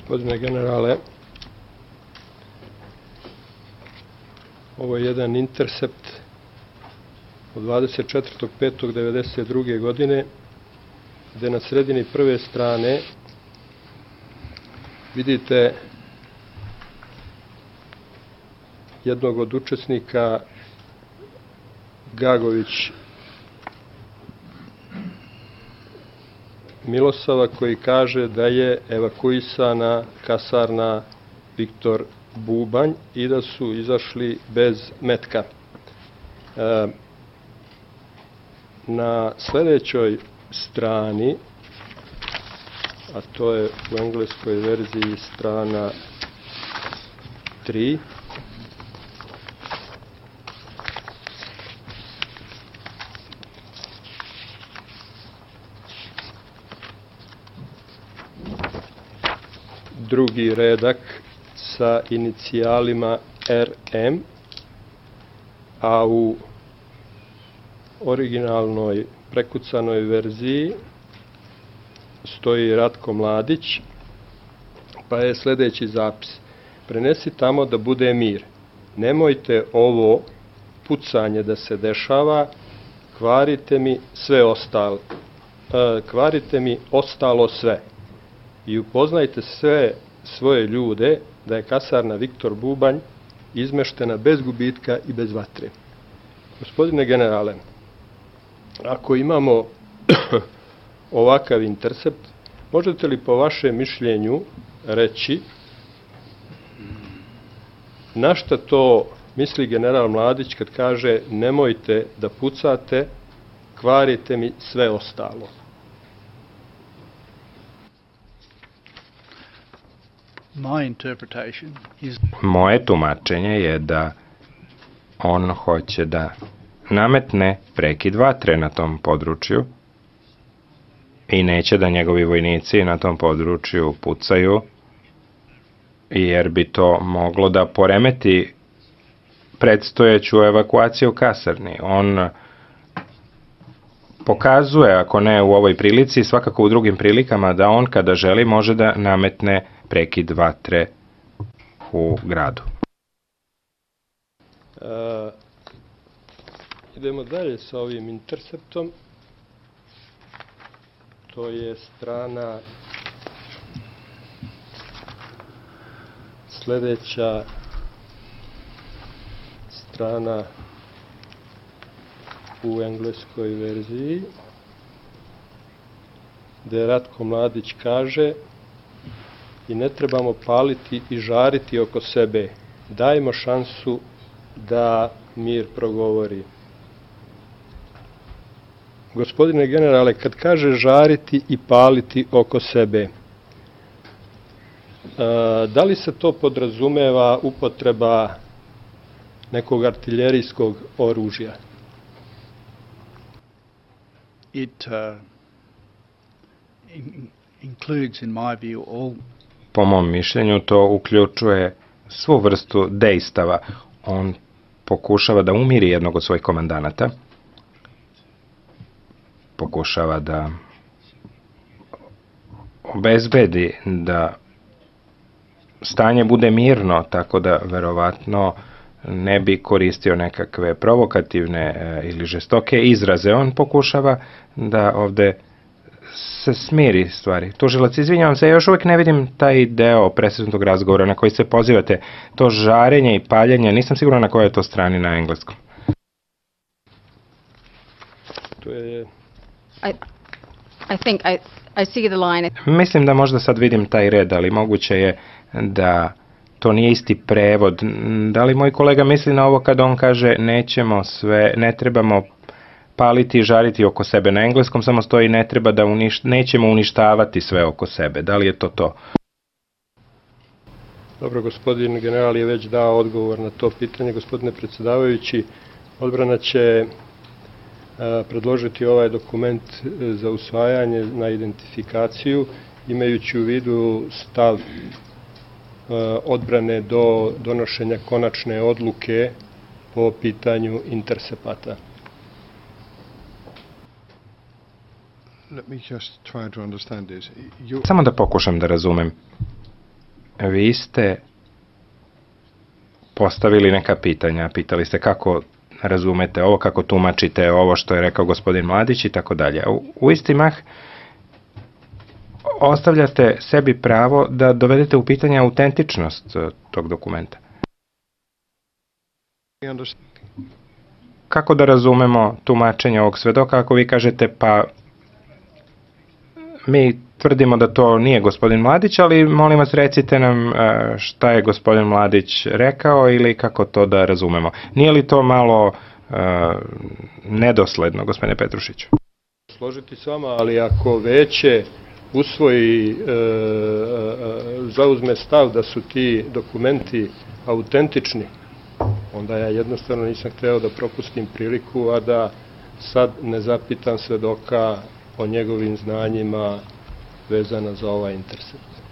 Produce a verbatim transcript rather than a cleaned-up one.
Gospodine generale, ovo je jedan intercept od dvadeset četvrtog petog devedeset druge. godine, gde na sredini prve strane vidite jednog od učesnika, Gagović Milosava, koji kaže da je evakuisana kasarna Viktor Bubanj i da su izašli bez metka. E, na sledećoj strani, a to je u engleskoj verziji strana tri, drugi redak sa inicijalima R M, a u originalnoj prekucanoj verziji stoji Ratko Mladić, pa je sledeći zapis: prenesi tamo da bude mir, nemojte ovo pucanje da se dešava, kvarite mi sve ostalo, kvarite mi ostalo sve i upoznajte sve svoje ljude da je kasarna Viktor Bubanj izmeštena bez gubitka i bez vatre. Gospodine generale, ako imamo ovakav intercept, možete li po vašem mišljenju reći na šta to misli general Mladić kad kaže nemojte da pucate, kvarite mi sve ostalo? Moje tumačenje je da on hoće da nametne prekid vatre na tom području i neće da njegovi vojnici na tom području pucaju, jer bi to moglo da poremeti predstojeću evakuaciju kasarni. On pokazuje, ako ne u ovoj prilici, svakako u drugim prilikama, da on kada želi može da nametne prekid vatre u gradu. E, idemo dalje sa ovim interceptom. To je strana sledeća strana u engleskoj verziji, gde Ratko Mladić kaže: i ne trebamo paliti i žariti oko sebe, dajmo šansu da mir progovori. Gospodine generale, kad kaže žariti i paliti oko sebe, da li se to podrazumeva upotreba nekog artiljerijskog oružja? It uh, in, includes, in my view, all... Po mom mišljenju, to uključuje svu vrstu dejstava. On pokušava da umiri jednog od svojih komandanata, pokušava da obezbedi da stanje bude mirno, tako da verovatno ne bi koristio nekakve provokativne ili žestoke izraze. On pokušava da ovde se smiri stvari. Tužilac, izvinjavam se, još uvijek ne vidim taj deo presretnog razgovora na koji se pozivate. To žarenje i paljenje, nisam siguran na kojoj je to strani na engleskom. To je... I, I think I, I see the line. Mislim da možda sad vidim taj red, ali moguće je da to nije isti prevod. Da li moj kolega misli na ovo kad on kaže nećemo sve, ne trebamo paliti i žariti oko sebe? Na engleskom samo stoji ne treba da uniš, nećemo uništavati sve oko sebe. Da li je to to? Dobro, gospodin general je već dao odgovor na to pitanje. Gospodine predsjedavajući, odbrana će predložiti ovaj dokument za usvajanje na identifikaciju, imajući u vidu stav odbrane do donošenja konačne odluke po pitanju intercepata. Samo da pokušam da razumem. vi ste postavili neka pitanja, pitali ste kako razumete ovo, kako tumačite ovo što je rekao gospodin Mladić i tako dalje. U isti mah ostavljate sebi pravo da dovedete u pitanje autentičnost tog dokumenta. Kako da razumemo tumačenje ovog svedoka ako vi kažete pa mi tvrdimo da to nije gospodin Mladić, ali molim vas recite nam šta je gospodin Mladić rekao ili kako to da razumemo. Nije li to malo uh, nedosledno, gospodine Petrušiću? Složiti s vama, ali ako veće usvoji, e, zauzme stav da su ti dokumenti autentični, onda ja jednostavno nisam hteo da propustim priliku, a da sad ne zapitam svedoka o njegovim znanjima vezana za ovaj intercept.